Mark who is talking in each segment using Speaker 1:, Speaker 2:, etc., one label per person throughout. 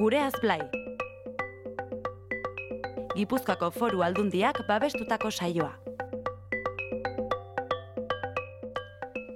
Speaker 1: Gureaz Blai. Gipuzkoako Foru Aldundiak babestutako saioa.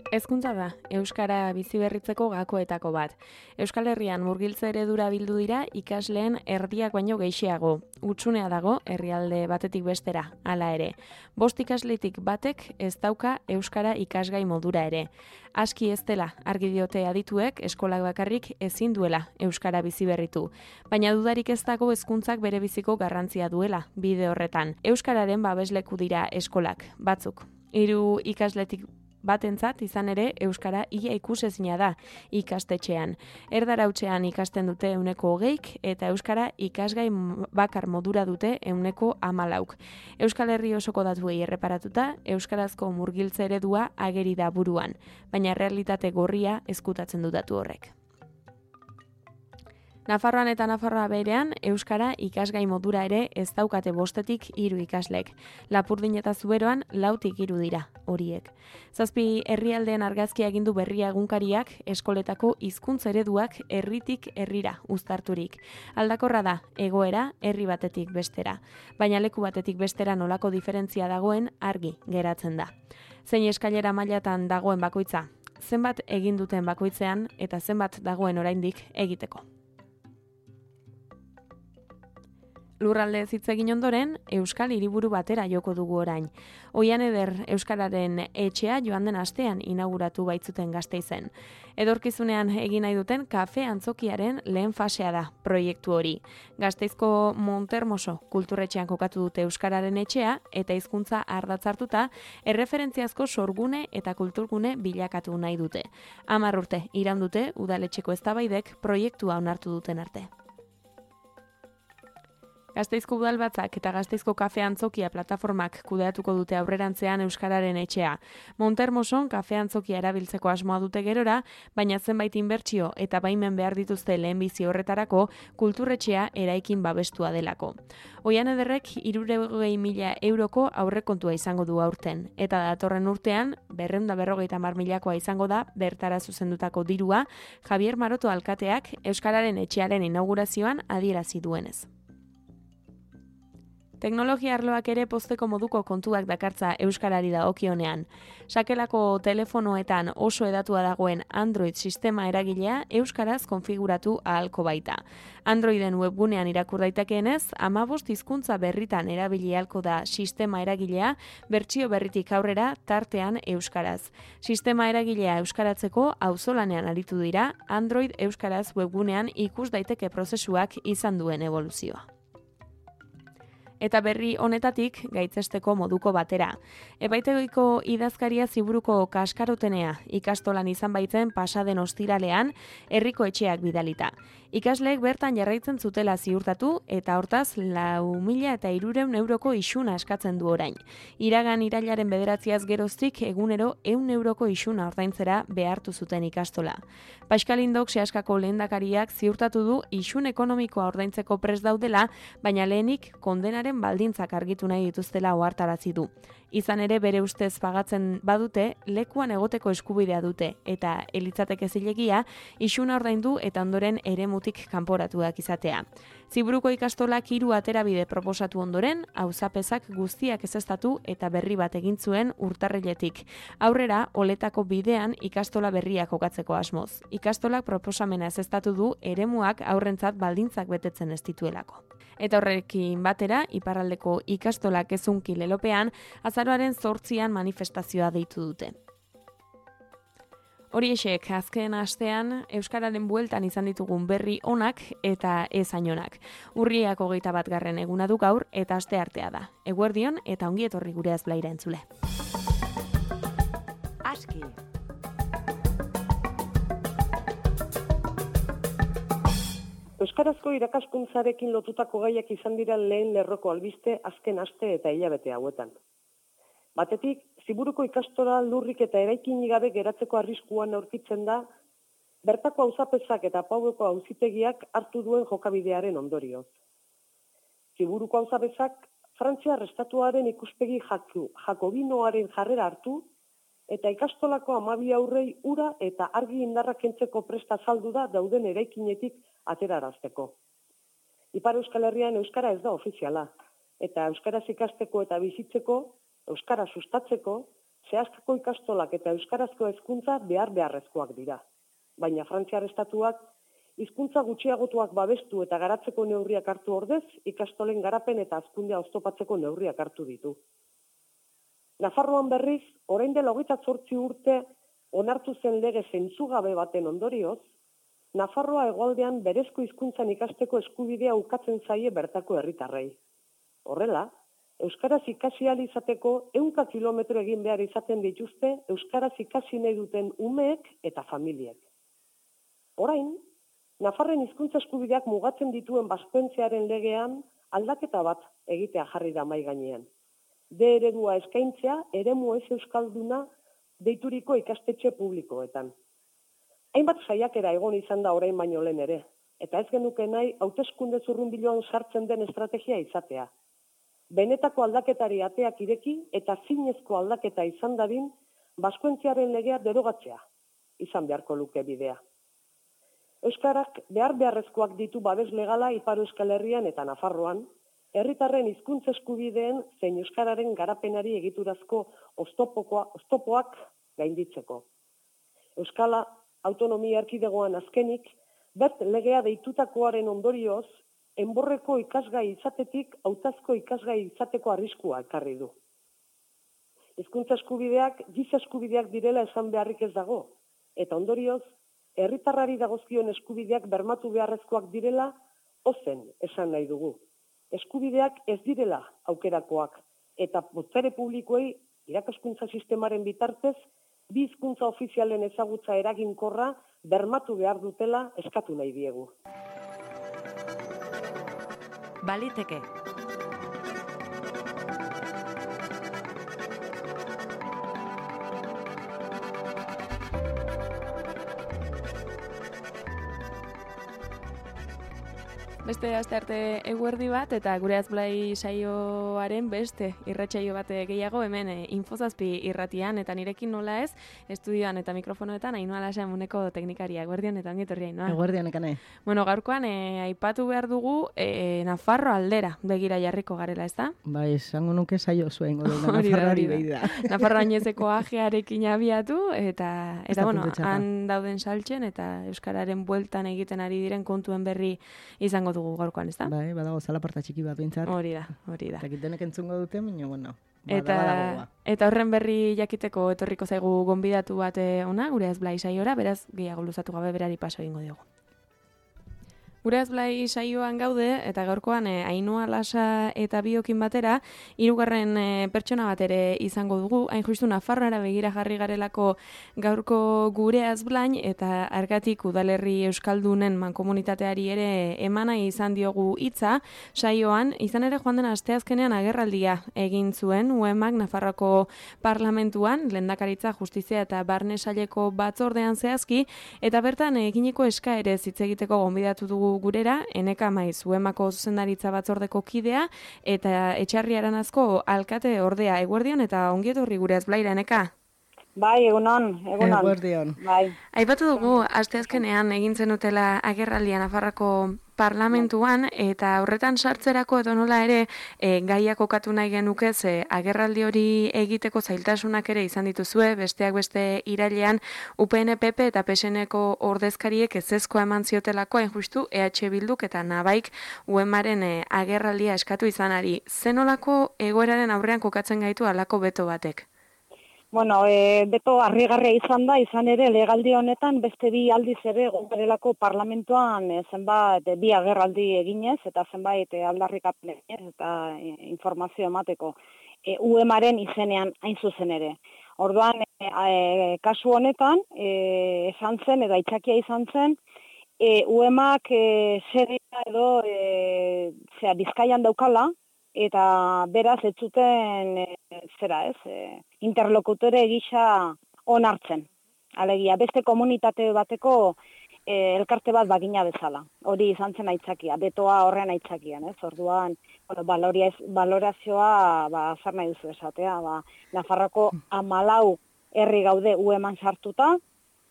Speaker 2: Hezkuntza da, euskara biziberritzeko gakoetako bat. Euskal Herrian murgiltze eredura bildu dira ikasleen erdiak baino gehixeago. Hutsunea dago herrialde batetik bestera, hala ere. 5 ikasletik batek ez dauka euskara ikasgai modura ere. Aski ez dela, argi diote adituek eskolak bakarrik ezin duela euskara biziberritu. Baina dudarik ez dago hezkuntzak bere biziko garrantzia duela bide horretan. Euskararen babesleku dira eskolak, batzuk. 3 ikasletik batentzat izan ere euskara ia ikusezina da ikastetxean. Erdarhautsean ikasten dute 20% eta euskara ikasgai bakar modura dute 14%. Euskal Herri osoko datuei erreparatuta, euskarazko murgiltze eredua ageri da buruan, baina realitate gorria ezkutatzen du datu horrek. Nafarroan eta Nafarroa berean, euskara ikasgai modura ere ez daukate 5-tik 3 ikaslek. Lapurdin eta Zuberoan 4-tik 3 dira horiek. 7 herrialdeen argazkia egindu Berria egunkariak eskoletako hizkuntz ereduak herritik herrira uztarturik. Aldakorra da, egoera herri batetik bestera. Baina leku batetik bestera nolako diferentzia dagoen argi geratzen da. Zein eskailera mailatan dagoen bakoitza, zenbat egin duten bakoitzean eta zenbat dagoen oraindik egiteko. Lurralde hitz egin ondoren, Euskal Hiriburu batera joko dugu orain. Oian eder Euskararen etxea joan den astean inauguratu baitzuten Gasteizen. Edorkizunean egin nahi duten kafe antzokiaren lehen fasea da proiektu hori. Gasteizko Montermoso kulturretxean kokatu dute Euskararen etxea eta hizkuntza ardatz hartuta erreferentziazko sorgune eta kulturgune bilakatu nahi dute. 10 urte iraun dute udaletxeko eztabaidek proiektua onartu duten arte. Gasteizko udalbatzak eta Gasteizko kafe antzokia plataformak kudeatuko dute aurrerantzean euskararen etxea. Montermoson kafe antzokia erabiltzeko asmoa dute gerora, baina zenbait inbertsio eta baimen behar dituzte lehenbizi horretarako kulturretxea eraikin babestua delako. Oian ederrek 300.000 euroko aurrekontua izango du aurten, eta datorren urtean 250.000 izango da bertara zuzendutako dirua Javier Maroto alkateak euskararen etxearen inaugurazioan adierazi duenez. Teknologia arloak ere pozteko moduko kontuak dakartza euskarari dagokionean. Sakelako telefonoetan oso hedatua dagoen Android sistema eragilea euskaraz konfiguratu ahalko baita. Androiden webgunean irakur daitekeenez, 15 hizkuntza berritan erabili ahalko da sistema eragilea bertsio berritik aurrera tartean euskaraz. Sistema eragilea euskaratzeko auzolanean aritu dira Android euskaraz webgunean ikus daiteke prozesuak izan duen eboluzioa. Eta berri honetatik gaitzesteko moduko batera. Epaitegiko idazkaria Ziburuko kaskarotenea ikastolan izan baitzen pasaden ostiralean herriko etxeak bidalita. Ikasleek bertan jarraitzen zutela ziurtatu eta hortaz 4.300 euroko isuna eskatzen du orain. Iragan irailaren 9 geroztik egunero 100 euroko isuna ordaintzera behartu zuten ikastola. Paskalindok Seaskako lehendakariak ziurtatu du isun ekonomikoa ordaintzeko prest daudela, baina lehenik kondenaren baldintzak argitu nahi dituztela ohartarazi du. Izan ere bere ustez pagatzen badute, lekuan egoteko eskubidea dute eta elitzateke zilegia isuna ordaindu eta ondoren eremutik kanporatuak izatea. Ziburuko ikastolak 3 aterabide proposatu ondoren, auzapezak guztiak ezeztatu eta berri bat egin zuen urtarriletik. Aurrera, oletako bidean ikastola berriak kokatzeko asmoz. Ikastolak proposamena ezeztatu du eremuak aurrentzat baldintzak betetzen ez dituelako. Eta horrekin batera, iparraldeko ikastolak ezunki lelopean, azaroaren 8an manifestazioa deitu dute. Horiexek, azken astean, euskararen bueltan izan ditugun berri onak eta ez hainonak. Urriak 21. eguna du gaur eta aste artea da. Eguerdion eta ongi etorri Gureaz Blaira entzule.
Speaker 1: Aski.
Speaker 3: Euskarazko irakaskuntzarekin lotutako gaiak izan dira lehen lerroko albiste azken aste eta hilabete hauetan. Batetik, Ziburuko ikastola lurrik eta eraikinik gabe geratzeko arriskuan aurkitzen da, bertako auzapezak eta Paueko auzitegiak hartu duen jokabidearen ondorioz. Ziburuko auzapezak Frantziar estatuaren ikuspegi jakobinoaren jarrera hartu eta ikastolako 12 aurrei ura eta argi indarra kentzeko presta azaldu da dauden eraikinetik aterarazteko. Ipar Euskal Herrian euskara ez da ofiziala, eta euskaraz ikasteko eta bizitzeko, euskara sustatzeko, zehazteko ikastolak eta euskarazko hezkuntza beharrezkoak dira. Baina Frantziar estatuak hizkuntza gutxiagotuak babestu eta garatzeko neurriak hartu ordez, ikastolen garapen eta hazkundea oztopatzeko neurriak hartu ditu. Nafarroan berriz, orain dela 28 urte onartu zen lege zentzugabe baten ondorioz, Nafarroa hegoaldean berezko hizkuntzan ikasteko eskubidea ukatzen zaie bertako herritarrei. Horrela, euskaraz ikasi ahal izateko 100 kilometro egin behar izaten dituzte euskaraz ikasi nahi duten umeek eta familiek. Orain, Nafarren hizkuntza eskubideak mugatzen dituen Baskoentziaren legean aldaketa bat egitea jarri da mahai gainean. D eredua eskaintzea eremu ez euskalduna deituriko ikastetxe publikoetan. Hainbat saiakera egon izan da orain baino lehen ere, eta ez genuke nahi hauteskunde zurrunbiloan sartzen den estrategia izatea. Benetako aldaketari ateak ireki eta zinezko aldaketa izan dadin Baskoentziaren legea derogatzea izan beharko luke bidea. Euskarak beharrezkoak ditu babes legala Ipar Euskal Herrian eta Nafarroan, herritarren hizkuntza eskubideen zein euskararen garapenari egiturazko oztopoak gainditzeko. Euskala autonomia erkidegoan azkenik, bert legea deitutakoaren ondorioz, enborreko ikasgai izatetik hautazko ikasgai izateko arriskua ekarri du. Hizkuntza eskubideak giza eskubideak direla esan beharrik ez dago, eta ondorioz, herritarrari dagozkion eskubideak bermatu beharrezkoak direla, ozen esan nahi dugu. Eskubideak ez direla aukerakoak, eta botere publikoei irakaskuntza sistemaren bitartez, bi hizkuntza ofizialen ezagutza eraginkorra bermatu behar dutela eskatu nahi diegu.
Speaker 1: Baliteke.
Speaker 2: Beste astearte eguerdi bat eta gure azblai saioaren beste irratsaio bat gehiago hemen Infozazpi irratian eta nirekin nola ez estudioan eta mikrofonoetan Ainhoa Lasa emuneko teknikaria. Eguerdian eta ongi etorri Ainhoa.
Speaker 4: Eguerdian ekane.
Speaker 2: Bueno, gaurkoan aipatu behar dugu Nafarro aldera begira jarriko garela, ezta?
Speaker 4: Bai, esango nuke saio zuen Nafarroari begira.
Speaker 2: Nafarro Añezeko ajearekin abiatu eta bueno, han dauden saltzen eta euskararen bueltan egiten ari diren kontuen berri izango dugu gaurkoan, ezta?
Speaker 4: Bai, badago zalaparta txiki bat bintzat.
Speaker 2: Hori da.
Speaker 4: Eta kitenek entzungo dute, baina, bueno,
Speaker 2: eta horren berri jakiteko etorriko zaigu gonbidatu bat ona, gure azblai saiora, beraz, gehiago luzatu gabe berari paso egingo diogu. Gure azblai saioan gaude, eta gaurkoan Ainhoa Lasa eta biokin batera, hirugarren pertsona bat ere izango dugu, hain justu Nafarroara begira jarri garelako gaurko gure azblain, eta argatik udalerri euskaldunen mankomunitateari ere emana izan diogu hitza saioan, izan ere joan den asteazkenean agerraldia egin zuen, UEMak Nafarroko parlamentuan, lehendakaritza, justizia eta barne saileko batzordean zehazki, eta bertan eginiko eskaerez hitz egiteko gonbidatu dugu gurera, Eneka Maiz, UEMako zuzendaritza batzordeko kidea, eta Etxarri Aranazko alkate ordea. Eguerdion eta ongi etorri gure azblaira, Eneka?
Speaker 5: Bai, egunon.
Speaker 4: Eguerdion.
Speaker 5: Bai.
Speaker 2: Aipatu dugu, asteazkenean egin zenutela agerraldia Nafarroko parlamentuan, eta horretan sartzerako edo nola ere gaiak kokatu nahi genukez agerraldi hori egiteko zailtasunak ere izan dituzue, besteak beste irailean UPN, PP eta PSNeko ordezkariek ezezkoa eman ziotelako, hain justu EH Bilduk eta Nabaik UEMaren agerraldia eskatu izanari. Zenolako egoeraren aurrean kokatzen gaitu halako beto batek?
Speaker 5: Bueno, beto harrigarria izan da, izan ere legaldi honetan beste bi aldiz ere gongarelako parlamentuan zenbait bi agerraldi eginez eta zenbait aldarrikapen eginez eta informazio emateko UEMaren izenean hain zuzen ere. Orduan, kasu honetan, esan zen, edo aitzakia izan zen, UEMak zerea edo Bizkaian daukala, eta beraz ez zuten interlokutore gisa onartzen. Alegia, beste komunitate bateko elkarte bat bagina bezala. Hori izan zen aitzakia, betoa horren aitzakian, ez? Orduan, valorazioa, zer nahi duzu esatea, Nafarroko 14 herri gaude UEMan sartuta,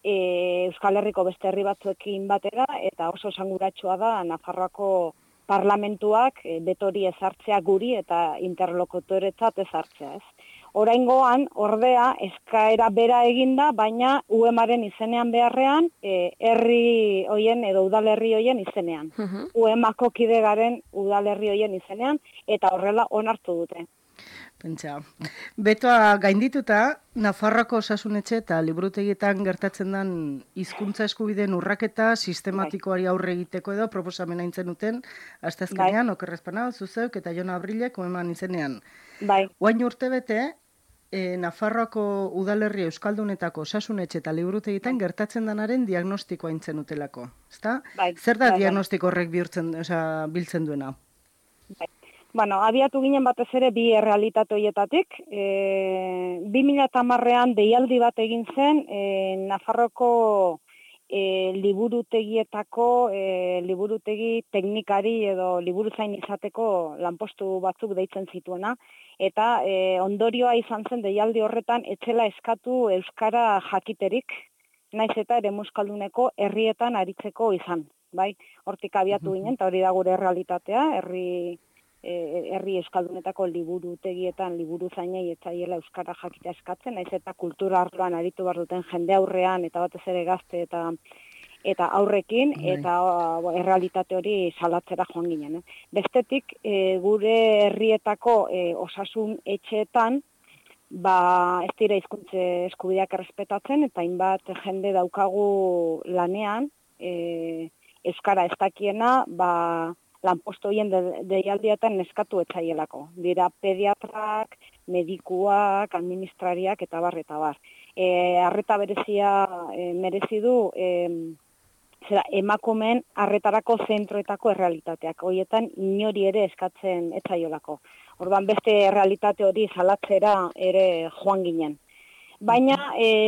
Speaker 5: Euskal Herriko beste herri batzuekin batera, eta oso esanguratsua da Nafarroako parlamentuak betori ezartzea guri eta interlokutoretzat ezartzea, ez? Oraingoan, ordea, eskaera bera eginda, baina UEMaren izenean beharrean, herri hoien edo udalerri hoien izenean. UEMako kide garen udalerri hoien izenean, eta horrela onartu dute.
Speaker 4: Pentsa, betoa gaindituta, Nafarroako osasunetxe eta liburutegietan gertatzen den hizkuntza eskubideen urraketa sistematikoari aurre egiteko edo proposamena intzen duten, asteazkenean, okerrezpana, zuzeuk eta Jon Abrilek oeman izenean.
Speaker 5: Bai.
Speaker 4: Oain urte bete, Nafarroako udalerri euskaldunetako osasunetxe eta liburutegietan gertatzen denaren diagnostikoa intzen utelako. Ezta?
Speaker 5: Bai.
Speaker 4: Zer da diagnostiko horrek biltzen duena?
Speaker 5: Bai. Bueno, abiatu ginen batez ere bi errealitate horietatik. 2010an deialdi bat egin zen Nafarroko liburutegietako liburutegi teknikari edo liburuzain izateko lanpostu batzuk deitzen zituena. Eta ondorioa izan zen deialdi horretan etzela eskatu euskara jakiterik, naiz eta ere euskalduneko herrietan aritzeko izan. Bai? Hortik abiatu ginen, eta hori da gure errealitatea, herri euskaldunetako liburutegietan liburuzainei etzaiela euskara jakitea eskatzen, naiz eta kultura arloan aritu behar duten jende aurrean eta batez ere gazte eta aurrekin, eta errealitate hori salatzera joan ginen. Bestetik, gure herrietako osasun etxeetan, ez dira hizkuntza eskubideak errespetatzen, eta hainbat jende daukagu lanean, euskara ez dakiena, lanpostu horien deialdietan eskatu etzaielako. Dira pediatrak, medikuak, administrariak eta bar. Arreta berezia merezi du emakumeen arretarako zentroetako errealitateak. Horietan inori ere eskatzen etzaiolako. Orduan beste errealitate hori salatzera ere joan ginen. Baina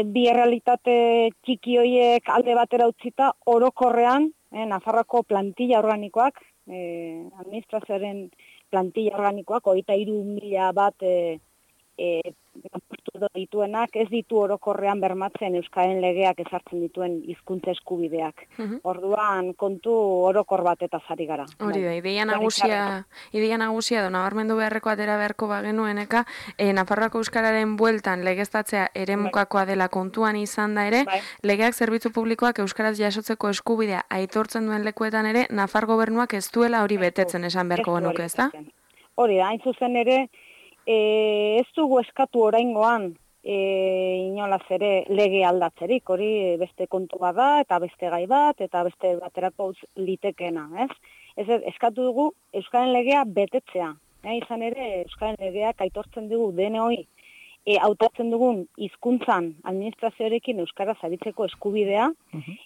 Speaker 5: bi errealitate txiki horiek alde batera utzita orokorrean, Nafarroako plantilla organikoak, administrazioaren plantilla organikoak, 23.000 bat lanpostu dituenak, ez ditu orokorrean bermatzen Euskaren legeak ezartzen dituen hizkuntza eskubideak. Orduan kontu orokor bat eta zari gara.
Speaker 2: Hori da, ideia nagusia da, nabarmendu beharreko atera beharko bagenueneka, Nafarroako euskararen bueltan legeztatzea eremukakoa dela kontuan izan da ere, legeak zerbitzu publikoak euskaraz jasotzeko eskubidea aitortzen duen lekuetan ere, Nafar gobernuak ez duela hori betetzen esan beharko genuke, ez da?
Speaker 5: Hori da, hain zuzen ere, ez dugu eskatu oraingoan inolaz ere lege aldatzerik, hori beste kontu bat da, eta beste gai bat, eta beste baterako litekena, ez? Eskatu dugu Euskaren legea betetzea. Izan ere, Euskaren legeak aitortzen dugu DNOi hautatzen dugun hizkuntzan administrazioarekin euskaraz aritzeko eskubidea,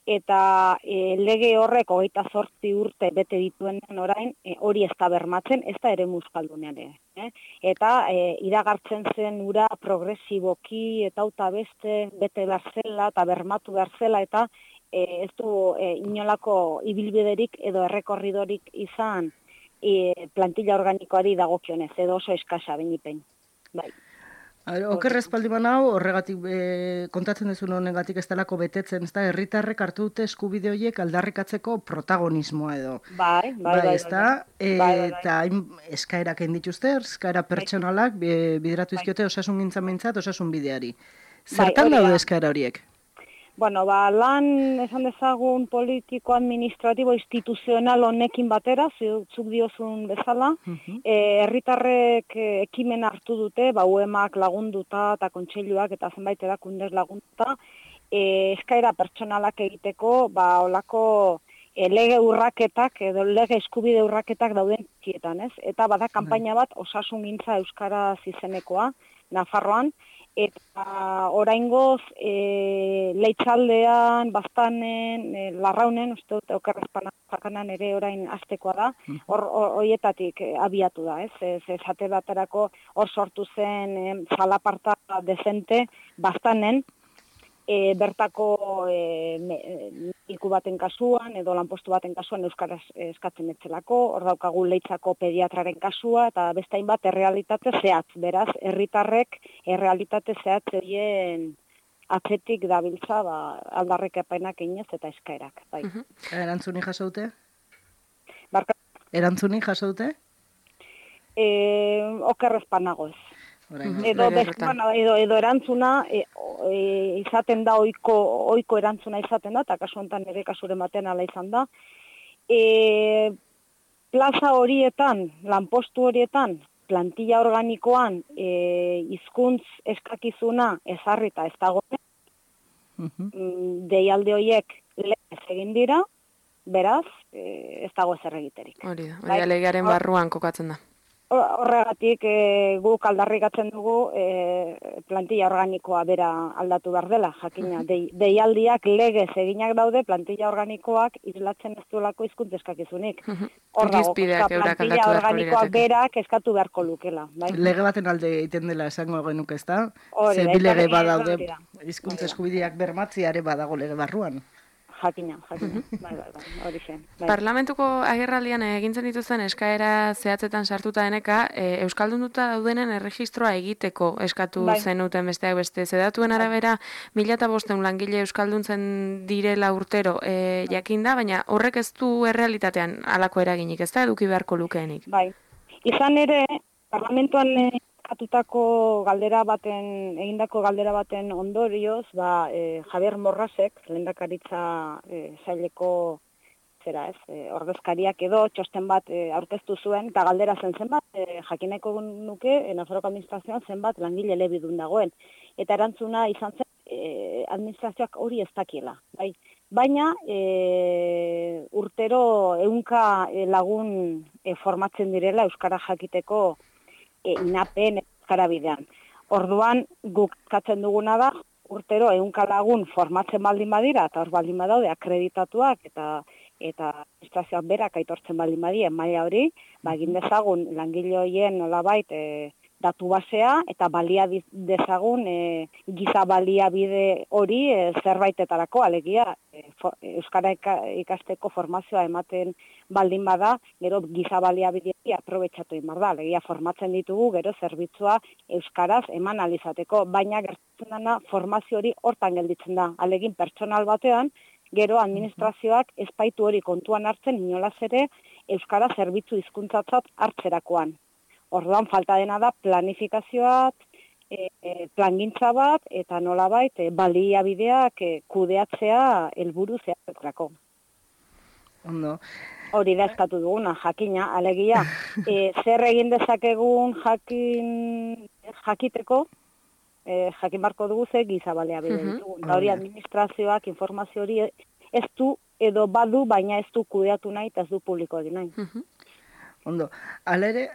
Speaker 5: eta lege horrek 28 urte bete dituen orain, hori ez da bermatzen, ez da ere euskaldunean ere. Eta iragartzen zen ura progresiboki eta beste bete behar zela eta bermatu behar zela, eta ez du inolako ibilbiderik edo errekorridorik izan plantilla organikoari dagokionez, edo oso eskasa benipen. Bai.
Speaker 4: Okerrez paldiman hau, horregatik kontatzen duzun honegatik ez delako betetzen, ez da, herritarrek hartu dute eskubide horiek aldarrikatzeko protagonismoa edo.
Speaker 5: Bai.
Speaker 4: Eta eskaerak egin dituzte, eskaera pertsonalak bideratu izkiote osasun gintzamentzat, osasun bideari. Zertan daude eskaera horiek?
Speaker 5: Bueno, lan esan dezagun politiko-administratibo instituzional honekin batera, zuk diozun bezala, herritarrek ekimen hartu dute, UEMak lagunduta eta kontseiluak eta zenbait erakundez lagunduta, eskaera pertsonalak egiteko, olako lege urraketak edo lege eskubide urraketak dauden txietan, ez? Eta bada kanpaina bat osasun gintza euskaraz izenekoa, Nafarroan, eta oraingoz Leitzaldean, Baztanen, Larraunen, uste dut okerrezpanakan ere orain astekoa da, horietatik abiatu da, ez? Esate baterako hor sortu zen zalaparta dezente Baztanen, bertako mediku baten kasuan edo lanpostu baten kasuan euskaraz eskatzen etzelako, hor daukagu Leitzako pediatraren kasua eta beste hainbat errealitate zehatz, beraz herritarrek errealitate zehatz horien atzetik dabiltza aldarrikapenak eginez eta eskaerak. Bai.
Speaker 4: Erantzuni jaso dute? Erantzunik jaso dute?
Speaker 5: Okerrezpan nagoz.
Speaker 2: Edo
Speaker 5: erantzuna izaten da ohiko erantzuna izaten da, eta kasu honetan ere kasuren batean ala izan da. Plaza horietan, lanpostu horietan, plantilla organikoan hizkuntz eskakizuna ezarrita ez dagoen, deialde horiek legez egin dira, beraz, ez dago ezer egiterik.
Speaker 2: Hori da, legearen barruan kokatzen da.
Speaker 5: Horregatik guk aldarrikatzen dugu plantilla organikoa bera aldatu behar dela, jakina. Deialdiak legez eginak daude, plantilla organikoak islatzen ez duelako hizkuntz eskakizunik. Hor dago, plantilla organikoak berak eskatu beharko lukela.
Speaker 4: Lege baten alde egiten dela esango genuke, ez da? Ze bi lege badaude, hizkuntz eskubideak bermatziare badago lege barruan.
Speaker 5: Jakina, bai, hori zen.
Speaker 2: Parlamentuko agerraldian egintzen dituzten eskaera zehatzetan sartuta deneka, euskaldunduta daudenen erregistroa egiteko eskatu zenuten besteak beste. Zedatuen arabera, 1500 langile euskalduntzen direla urtero jakinda, baina horrek ez du errealitatean halako eraginik, ez da eduki beharko lukeenik.
Speaker 5: Bai, izan ere, parlamentuan egindako galdera baten ondorioz, Javier Morrasek, lehendakaritza saileko ordezkariak edo txosten bat aurkeztu zuen, eta galdera zenbat, jakineko nuke, Nafarroako administrazioan zenbat langile elebidun dagoen. Eta erantzuna izan zen, administrazioak hori ez dakiela. Baina, urtero 100 lagun formatzen direla euskara jakiteko inapen euskara bidean. Orduan, guk katzen duguna da, urtero 100 lagun formatzen baldin badira, eta hor baldin badaude akreditatuak, eta administrazioak berak aitortzen baldin badien maila hori, egin dezagun langile horien nolabait datu basea, eta balia dezagun giza baliabide hori zerbaitetarako, alegia euskara ikasteko formazioa ematen baldin bada, gero giza baliabidea aprobetxatu egin behar da, alegia formatzen ditugu, gero zerbitzua euskaraz eman alizateko, baina gertatzen dena formazio hori hortan gelditzen da, alegin pertsonal batean, gero administrazioak ezpaitu hori kontuan hartzen inolaz ere euskara zerbitzu hizkuntzatzat hartzerakoan. Orduan falta dena da planifikazioak, plangintza bat, eta nolabait baliabideak kudeatzea helburu zehatzeko.
Speaker 4: Ondo.
Speaker 5: Hori da eskatu duguna, jakina, alegia. Zer egin dezakegun jakiteko, jakin barko dugu ze giza baliabide ditugun. Hori administrazioak informazio hori ez du edo badu, baina ez du kudeatu nahi eta ez du publiko egin nahi.
Speaker 4: Ondo, alere,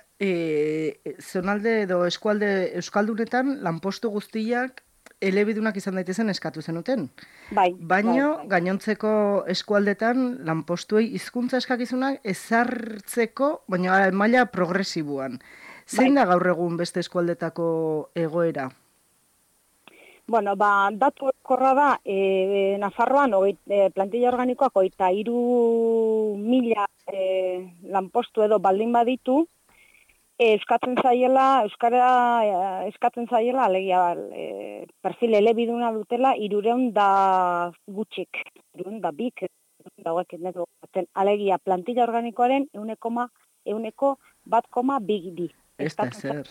Speaker 4: zonalde edo eskualde euskaldunetan lanpostu guztiak elebidunak izan daitezen eskatu zenuten. Baina gainontzeko eskualdetan lanpostuei hizkuntza eskakizunak ezartzeko, baina maila progresiboan. Zein da gaur egun beste eskualdetako egoera?
Speaker 5: Datu korra da, Nafarroan plantilla organikoak 23.000 lanpostu edo baldin baditu, euskara eskatzen zaiela, alegia perfil elebiduna dutela, 300 da gutxik, 300 da bik, alegia plantilla organikoaren 1,2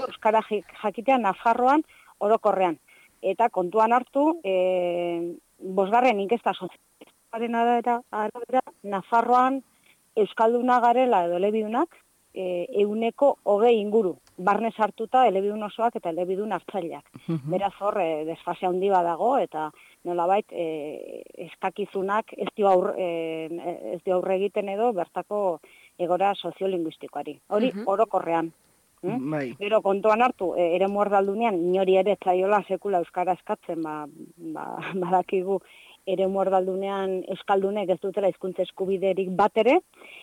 Speaker 5: euskara jakitea Nafarroan orokorrean. Eta kontuan hartu, 5. inkesta sozialaren arabera, Nafarroan euskalduna garela edo elebidunak 120 inguru, barne sartuta elebidun osoak eta elebidun hartzaileak. Beraz hor, desfase handi badago, eta nolabait eskakizunak ez dio aurre egiten edo bertako egora soziolinguistikoari. Hori orokorrean. Gero kontuan hartu, ere muerdaldunean, inori ere zaiola sekula euskara eskatzen, badakigu ere muerdaldunean euskaldunek ez dutela hizkuntza eskubiderik bat ere,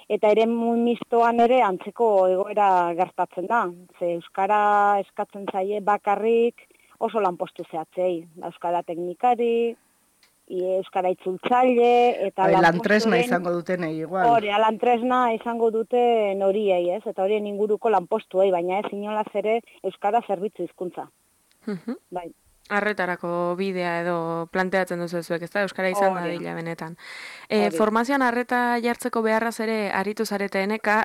Speaker 5: eta ere mistoan ere antzeko egoera gertatzen da. Ze euskara eskatzen zaie bakarrik oso lanpostu zehatzei, euskara teknikari, euskara itzultzaile, eta
Speaker 4: lantresna izango duten igual.
Speaker 5: Hori, lantresna izango duten horiei, ez? Eta horien inguruko lanpostuei, baina ez inolaz ere euskara zerbitzu hizkuntza. Bai.
Speaker 2: Arretarako bidea edo planteatzen duzu zuek, ezta? Euskara izan da dila benetan. Formazioan arreta jartzeko beharraz ere aritu zarete eneka,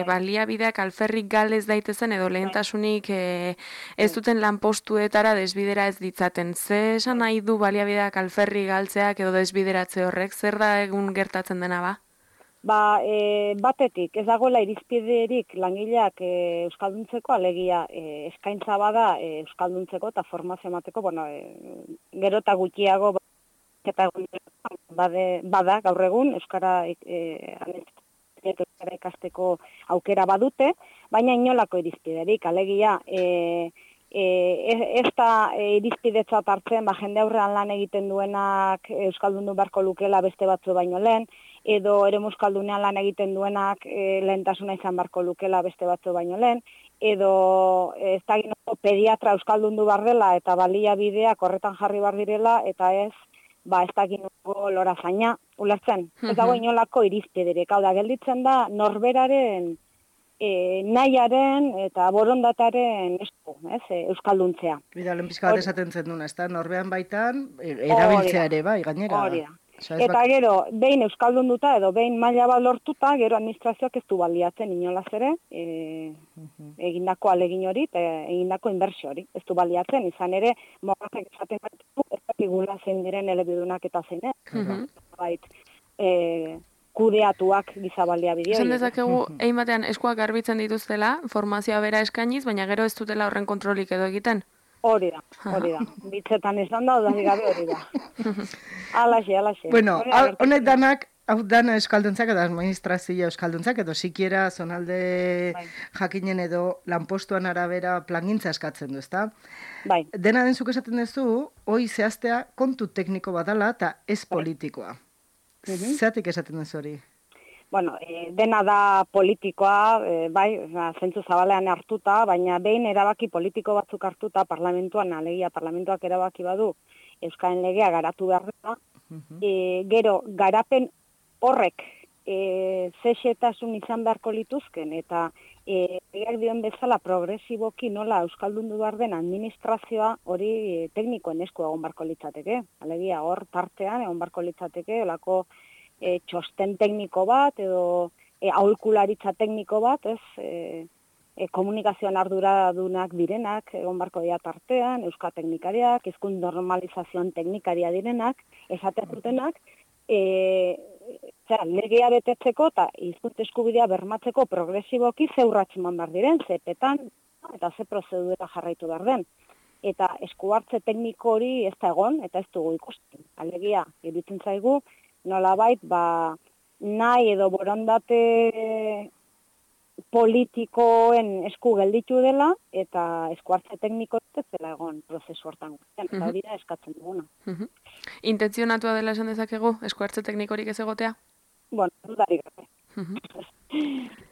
Speaker 2: baliabideak alferrik galez daitezen edo lehentasunik ez duten lanpostuetara desbidera ez ditzaten. Ze esan nahi du baliabideak alferri galtzeak edo desbideratze horrek? Zer da egun gertatzen dena ba?
Speaker 5: Batetik, ez dagoela irizpiderik langileak euskalduntzeko, alegia eskaintza bada euskalduntzeko eta formazio emateko, gero eta gutxiago eta bada gaur egun euskara ikasteko aukera badute, baina inolako irizpiderik, alegia ez da irizpidetzat hartzen, jende aurrean lan egiten duenak euskaldundu beharko lukela beste batzu baino lehen, edo ere euskaldunean lan egiten duenak lehentasuna izan beharko lukela beste batzu baino lehen, edo ez da pediatra euskaldundu behar dela eta baliabideak horretan jarri behar direla, eta ez da lorazaina, ulertzen. Ez dago inolako irizpiderik, hau da, gelditzen da norberaren nahiaren eta borondataren euskalduntzea.
Speaker 4: Bida, lehen pizka bat esaten zen duna, ez da, norbean baitan erabiltzea ere bai, gainera.
Speaker 5: Hori da. Eta gero, behin euskaldunduta edo behin maila bat lortuta, gero administrazioak ez du baliatzen inolaz ere, egindako alegin hori, egindako inbertsio hori, ez du baliatzen, izan ere, mogazek esaten baitu, ez dakigula zein diren elebidunak eta zein, kudeatuak giza baliabideo.
Speaker 2: Esan dezakegu, egin batean eskuak garbitzen dituztela, formazioa bera eskainiz, baina gero ez dutela horren kontrolik edo egiten?
Speaker 5: Hori da. Bitzetan izan da, odari gabe hori da. Alaxe.
Speaker 4: Bueno, honek danak, hau dana euskalduntzak edo administrazioa euskalduntzak edo sikiera zonalde jakinen edo lanpostuan arabera plangintza eskatzen du, ezta?
Speaker 5: Bai.
Speaker 4: Dena den zuk esaten duzu, hoi zehaztea kontu tekniko badala eta ez politikoa. Zeratik esaten duzu hori?
Speaker 5: Dena da politikoa, zentzu zabalean hartuta, baina behin erabaki politiko batzuk hartuta parlamentuan, alegia parlamentuak erabaki badu, Euskaren legea garatu behar da, gero garapen horrek zexetasun izan beharko lituzken, eta legeak dioen bezala progresiboki nola euskaldundu behar den administrazioa hori teknikoen esku egon beharko litzateke. Alegia hor tartean egon beharko litzateke, olako txosten tekniko bat edo aholkularitza tekniko bat, komunikazioan arduradunak direnak egon beharko dira tartean, euskateknikariak, hizkuntza normalizazioan teknikaria direnak, esaten dutenak, legea betetzeko eta hizkuntza eskubidea bermatzeko progresiboki ze urrats eman behar diren, ze petan eta ze prozedura jarraitu behar den. Eta esku hartze tekniko hori ez da egon, eta ez dugu ikusten. Alegia, iruditzen zaigu, nolabait, nahi edo borondate politikoen esku gelditu dela, eta esku hartze tekniko ez dela egon prozesu hortan. Eta hori da eskatzen duguna.
Speaker 2: Intentzionatua dela esan dezakegu, esku hartze teknikorik ez egotea?
Speaker 5: Dudarik gabe.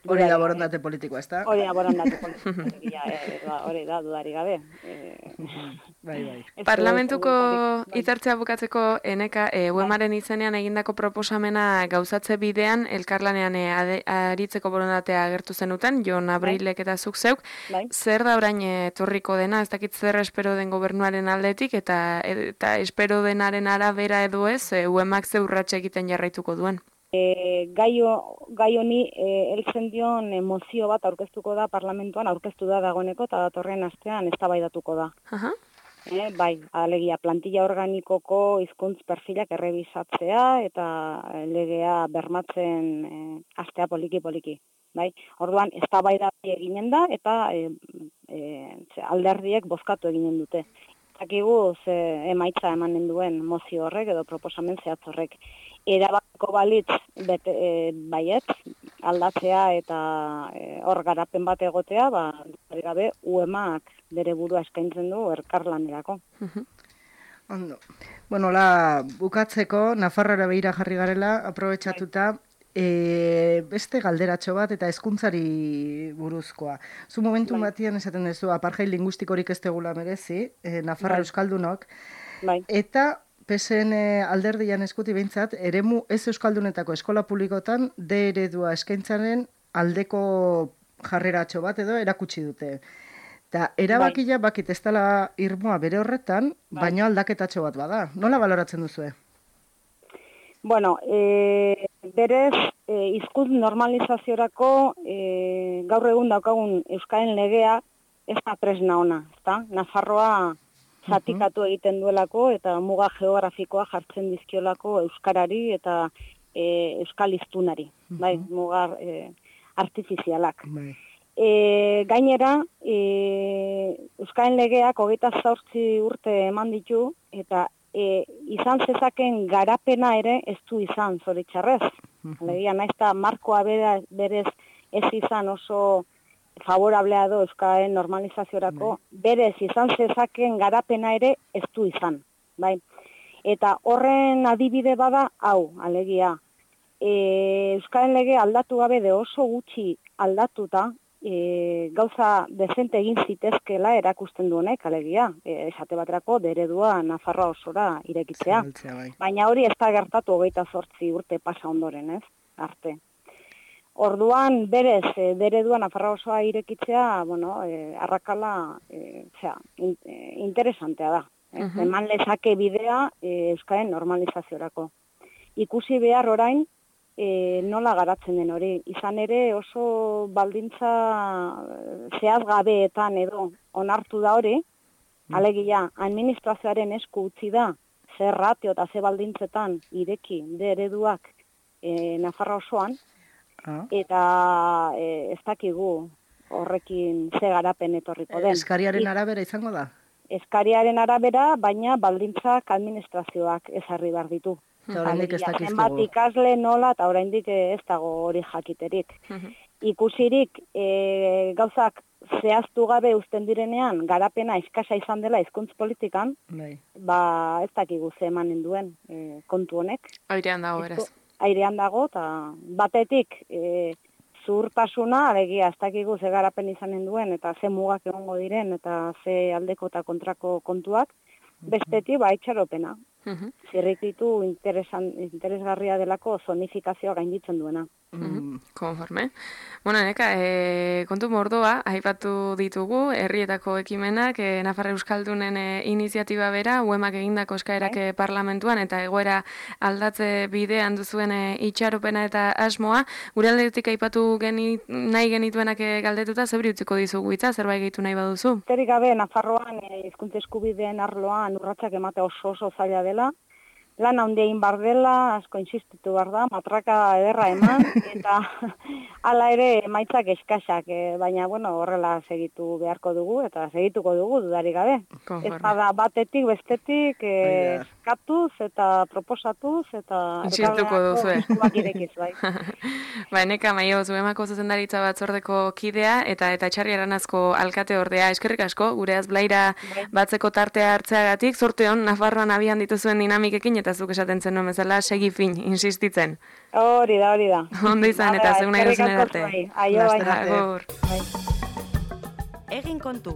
Speaker 4: Hori da borondate politikoa, ez da?
Speaker 5: Hori da borondate politikoa, hori da dudarik gabe.
Speaker 4: Bai.
Speaker 2: Parlamentuko hitzartzea bukatzeko eneka UEMaren izenean egindako proposamena gauzatze bidean elkarlanean aritzeko borondatea agertu zenuten, Jon Abrilek eta zuk zeuk. Zer da orain etorriko dena, ez dakit zer espero den gobernuaren aldetik eta espero denaren arabera edo ez, UEMak ze urratxe egiten jarraituko duen?
Speaker 5: Gai honi heltzen dion mozio bat aurkeztuko da parlamentuan, aurkeztu da dagoeneko eta datorren astean eztabaidatuko da. Bai, alegia plantilla organikoko hizkuntz perfilak errebisatzea eta legea bermatzen hastea poliki. Bai, orduan eztabaida eginen da eta alderdiek bozkatu eginen dute. Zakigu emaitza emanen duen mozio horrek edo proposamen zehatz horrek. Erabako balitz baiet, aldatzea eta hor garapen bat egotea, gabe UEMak bere burua eskaintzen du elkarlanerako.
Speaker 4: Ondo. Bueno, bukatzeko, Nafarroara begira jarri garela, aprobetxatuta, beste galderatxo bat eta hezkuntzari buruzkoa. Zu momentu batian esaten duzu, apartheid lingustikorik ez tegula merezi, Nafarra euskaldunok, eta PSN alderdian eskuti behintzat, eremu ez euskaldunetako eskola publikotan D eredua eskaintzaren aldeko jarreratxo bat edo erakutsi dute. Eta erabakia bakit ez dela irmoa bere horretan, baina aldaketatxo bat bada. Nola baloratzen duzue?
Speaker 5: Bueno, berez, hizkuntz normalizaziorako gaur egun daukagun Euskaren legea ez da tresna ona, ezta? Nafarroa zatikatu egiten duelako eta muga geografikoa jartzen dizkiolako euskarari eta euskal hiztunari, bai, muga artifizialak. Gainera, Euskaren legeak 28 urte eman ditu eta izan zezaken garapena ere ez du izan, zoritxarrez. Alegia, naiz eta markoa berez ez izan oso favorablea do Euskaren normalizaziorako, berez izan zezaken garapena ere ez du izan. Bai? Eta horren adibide bada, hau, alegia, Euskaren lege aldatu gabe de oso gutxi aldatuta, gauza dezente egin zitezkela erakusten du honek, alegia, esate baterako deredua Nafarroa osora irekitzea. Baina hori ez da gertatu 28 urte pasa ondoren, ez? Arte. Orduan, berez, deredua Nafarroa osoa irekitzea, bueno, arrakala, interesantea da. Eman lezake bidea Euskaren normalizaziorako. Ikusi behar orain, nola garatzen den hori. Izan ere oso baldintza zehazgabeetan edo onartu da hori, alegia, administrazioaren esku utzi da, zer ratio eta ze baldintzetan ireki ereduak Nafarroa osoan, eta ez dakigu horrekin ze garapen etorriko den.
Speaker 4: Eskariaren arabera izango da?
Speaker 5: Eskariaren arabera, baina baldintzak administrazioak ezarri behar ditu. Zenbat ikasle nola eta oraindik ez dago hori jakiterik. Ikusirik gauzak zehaztu gabe uzten direnean garapena eskasa izan dela hizkuntz politikan, ba ez dakigu ze emanen duen kontu honek.
Speaker 2: Airean dago, beraz.
Speaker 5: Airean dago, eta batetik zuhurtasuna, alegia ez dakigu ze garapen izanen duen, eta ze mugak egongo diren, eta ze aldeko eta kontrako kontuak, bestetik ba itxaropena. Zirrikitu interesgarria delako zonifikazioa gainditzen duena.
Speaker 2: Konforme. Bueno, neka, kontu mordoa, aipatu ditugu, herrietako ekimenak, Nafar Euskaldunen iniziatiba bera, UEMak egindako eskaerak parlamentuan, eta egoera aldatze bidean duzuen itxaropena eta asmoa. Gure aldetik aipatu nahi genituenak galdetuta, zebri utziko dizugu itza, zerbait gehitu nahi baduzu?
Speaker 5: Terik gabe, Nafarroan hizkuntza eskubideen arloan urratsak emate oso zaila dela. Lan handein bar dela, asko insistitu behar da, matraka ederra eman, eta hala ere emaitzak eskasak, baina bueno, horrela segitu beharko dugu, eta segituko dugu dudarik gabe. Ez da batetik, bestetik, eskatuz eta proposatuz, eta
Speaker 2: insistituko duzu,
Speaker 5: eskuak irekiz, bai.
Speaker 2: Ba, neka, maio, zuemako zuzendaritza batzordeko kidea, eta Txarri Aranazko alkate ordea, eskerrik asko, gure azblaira batzeko tartea hartzeagatik, zorte hon, Nafarroan abian dituzuen dinamikekin, eta zuk esaten zen nuen bezala, segi fin, insistitzen.
Speaker 5: Hori da.
Speaker 2: Ondo izan, eta zeun nahi duzun edarte.
Speaker 5: Aio,
Speaker 2: bai.
Speaker 1: Egin kontu.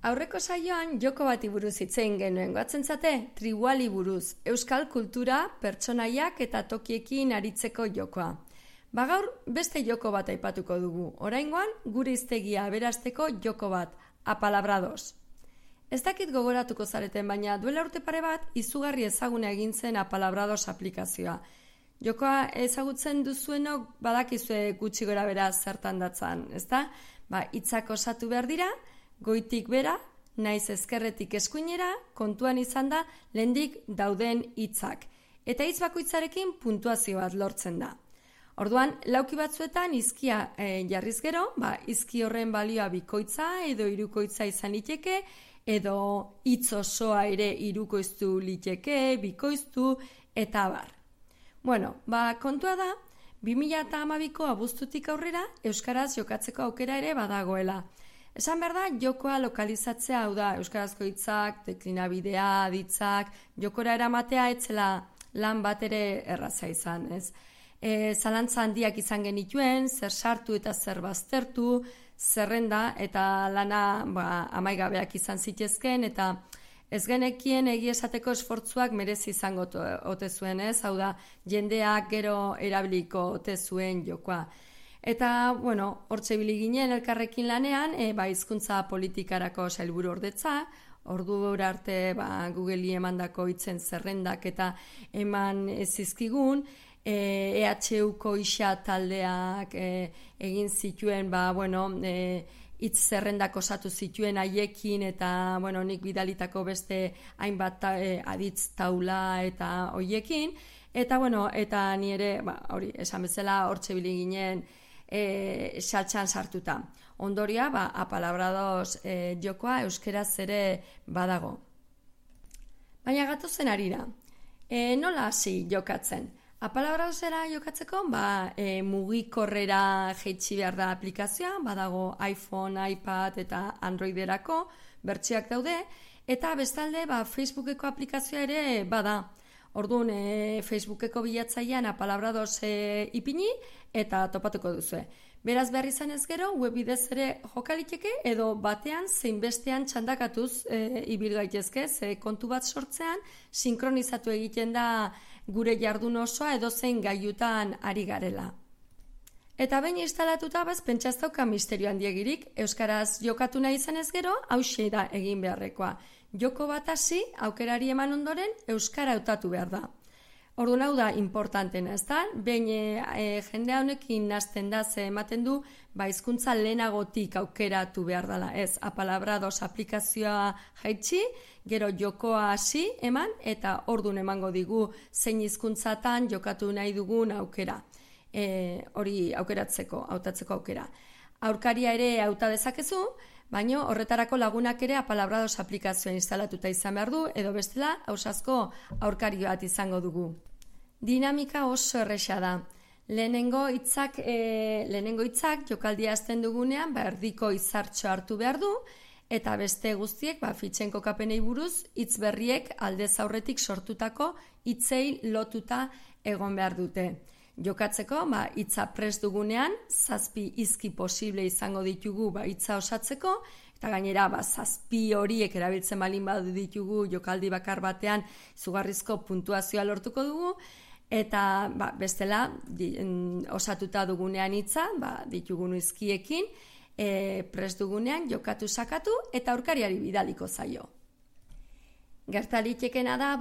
Speaker 6: Aurreko saioan joko bati buruz hitzein genuen, goatzen zate, tribuali buruz, euskal kultura, pertsonaiak eta tokiekin aritzeko jokoa. Gaur beste joko bat aipatuko dugu, oraingoan gure hiztegia aberasteko joko bat, apalabrados. Ez dakit gogoratuko zareten, baina duela urte pare bat izugarri ezaguna egin zen apalabrados aplikazioa. Jokoa ezagutzen duzuenok badakizue gutxi gora bera zertan datzan, ezta? Hitzak osatu behar dira, goitik bera, naiz ezkerretik eskuinera, kontuan izan da lehendik dauden hitzak. Eta hitz bakoitzarekin puntuazio bat lortzen da. Orduan, lauki batzuetan izkia jarriz gero, izki horren balioa bikoitza edo hirukoitza izan liteke, edo hitz osoa ere hirukoiztu liteke, bikoiztu, eta abar. Bueno, kontua da, 2012ko abuztutik aurrera, euskaraz jokatzeko aukera ere badagoela. Esan behar da, jokoa lokalizatzea, hau da, euskarazko hitzak, deklinabidea, aditzak, jokora eramatea etzela lan bat ere erraza izan, ez? Zalantza handiak izan genituen, zer sartu eta zer baztertu, zerrenda eta lana amaigabeak izan zitezken, eta Ez genekien egia esateko esfortzuak merezi izango ote zuen, ez? Hau da, jendeak gero erabiliko ote zuen jokoa. Eta, bueno, hortxe ibili ginen elkarrekin lanean, hizkuntza politikarako sailburu ordetza, ordura arte Googleri emandako hitzen zerrendak eta eman zizkigun, EHUko isa taldeak egin zituen, hitz zerrendak osatu zituen haiekin eta, nik bidalitako beste hainbat aditz taula eta hoiekin, eta, eta ni ere, hori, esan bezala, hortxe ibili ginen, saltxan sartuta. Ondoria, apalabradoz jokoa euskeraz ere badago. Baina gatozen arira, nola hasi jokatzen? Apalabradozera jokatzeko, mugikorrera jaitsi behar da aplikazioa, badago iPhone, iPad eta Androiderako bertsioak daude, eta bestalde Facebookeko aplikazioa ere bada. Orduan, Facebookeko bilatzailean apalabradoz ipini eta topatuko duzue. Beraz behar izan ez gero, webbidez ere jokaliteke edo batean zein bestean txandakatuz ibil gaitezke, ze kontu bat sortzean sinkronizatu egiten da gure jardun osoa edo zein gailutan ari garela. Eta behin instalatuta pentsa ez dauka misterio handiegirik, euskaraz jokatu nahi izan ez gero, hauxe da egin beharrekoa. Joko bat hasi, aukerari eman ondoren, euskara hautatu behar da. Orduan hau da importantena, ez da? Behin jendea honekin nazten da, ze ematen du, hizkuntza lehenagotik aukeratu behar dela. Ez, apalabradoz aplikazioa jaitsi, gero jokoa hasi eman, eta orduan emango digu zein hizkuntzatan jokatu nahi dugun aukera. Hori aukeratzeko, hautatzeko aukera. Aurkaria ere hauta dezakezu, baina horretarako lagunak ere apalabradoz aplikazioa instalatuta izan behar du, edo bestela ausazko aurkari bat izango dugu. Dinamika oso erresa da. Lehenengo hitzak jokaldia hasten dugunean erdiko izartxo hartu behar du, eta beste guztiek fitxen kokapenei buruz hitz berriek aldez aurretik sortutako hitzei lotuta egon behar dute. Jokatzeko, hitza prest dugunean, 7 hizki posible izango ditugu hitza osatzeko, eta gainera 7 horiek erabiltzen balin badu ditugu jokaldi bakar batean izugarrizko puntuazioa lortuko dugu, eta bestela osatuta dugunean hitza, ditugun hizkiekin, prest dugunean jokatu sakatu eta aurkariari bidaliko zaio. Gertalitekena da,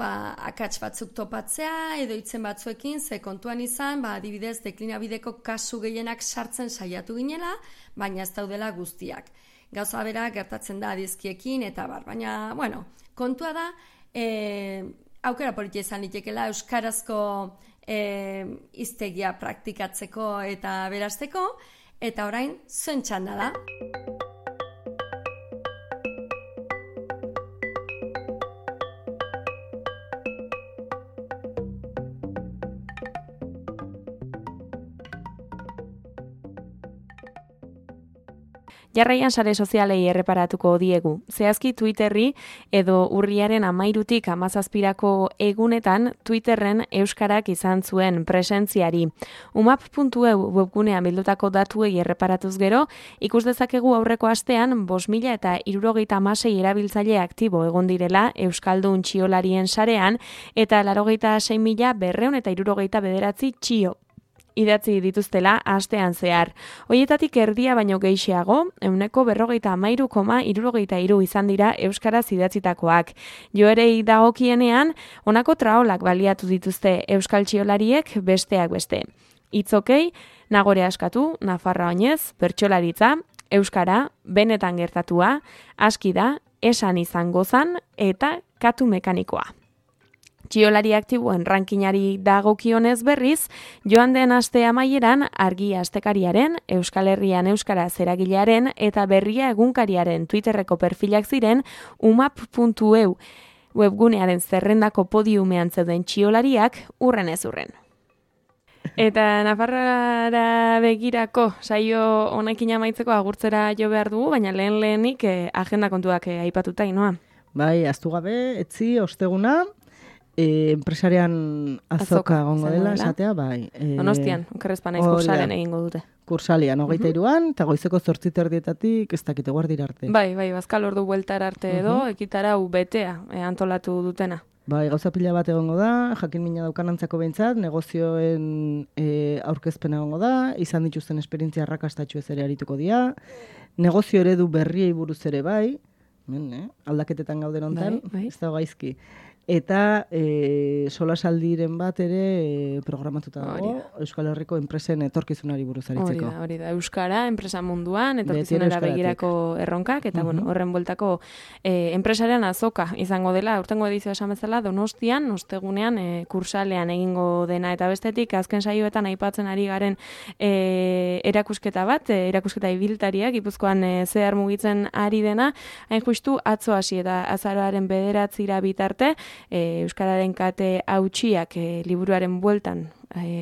Speaker 6: akats batzuk topatzea edo hitzen batzuekin, ze kontuan izan, adibidez, deklinabideko kasu gehienak sartzen saiatu ginela, baina ez daudela guztiak. Gauza bera gertatzen da adizkiekin, eta baina, kontua da, aukera politia izan litekela euskarazko hiztegia praktikatzeko eta berazteko, eta orain zuen txanda da.
Speaker 2: Jarraian sare sozialei erreparatuko diegu. Zehazki Twitterri edo urriaren 13tik 17irako egunetan Twitterren euskarak izan zuen presentziari. umap.eu webgunean bildutako datuei erreparatuz gero, ikus dezakegu aurreko astean 5.066 erabiltzaile aktibo egon direla euskaldun txiolarien sarean eta 86.269 txio idatzi dituztela astean zehar. Hoietatik erdia baino gehixeago, 43,63 izan dira euskaraz idatzitakoak. Joerei dagokienean, honako traolak baliatu dituzte euskal txiolariek besteak beste. Itzokei, Nagore askatu, Nafarra oinez, bertsolaritza, euskara, benetan gertatua, aski da, esan izan gozan eta katu mekanikoa. Txiolari aktiboen rankinari dagokionez berriz, joan den aste amaieran Argi astekariaren, Euskal Herrian euskaraz eragilearen eta Berria egunkariaren Twitterreko perfilak ziren umap.eu webgunearen zerrendako podiumean zeuden txiolariak urren ez urren. Eta Nafarroara begirako saio honekin amaitzeko agurtzera jo behar dugu, baina lehenik agenda kontuak aipatuta inoa.
Speaker 4: Bai, ahaztu gabe, etzi, osteguna, enpresarian azoka gongo dela, esatea, bai.
Speaker 2: Donostian, okerrezpa naiz kursaren egingo dute.
Speaker 4: Kursalian, 23an, eta goizeko 8:30 ez dakite guardira arte.
Speaker 2: Bai, bazkal ordu bueltar arte edo, ekitarau betea antolatu dutena.
Speaker 4: Bai, gauza pila bat egongo da, jakin mina daukanantzako behintzat, negozioen aurkezpen egongo da, izan dituzten esperientzia arrakastatxu ez ere arituko dira, negozio eredu berriei buruz ere bai, aldaketetan gauden ontan, ez da gaizki. Eta solasaldiren bat ere programatuta dago Euskal Herriko enpresen etorkizunari buruz aritzeko.
Speaker 2: Hori da, Euskara, enpresa munduan, etorkizunera begirako erronkak, eta horren bueltako enpresaren azoka izango dela, urtengo edizioa esan bezala, Donostian, ostegunean, kursalean egingo dena, eta bestetik, azken saioetan aipatzen ari garen erakusketa bat, erakusketa ibiltariak, Gipuzkoan zehar mugitzen ari dena, hain justu atzo hasi eta azaroaren 9 bitarte, Euskararen kate hautsiak liburuaren bueltan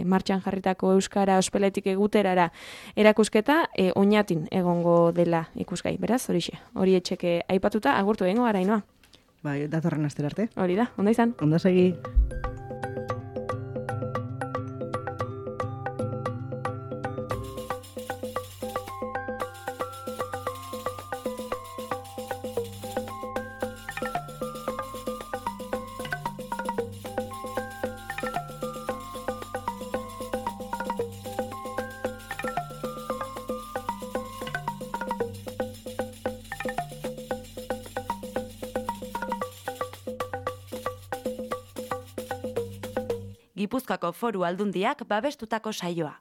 Speaker 2: martxan jarritako Euskara ospeletik eguterara erakusketa oinatin egongo dela ikusgai. Beraz, hori etxeke aipatuta agurtu egingo gara, Ainoa.
Speaker 4: Bai, datorren astera arte.
Speaker 2: Hori da, ondo izan.
Speaker 4: Ondo segi.
Speaker 1: Gipuzkoako Foru Aldundiak babestutako saioa.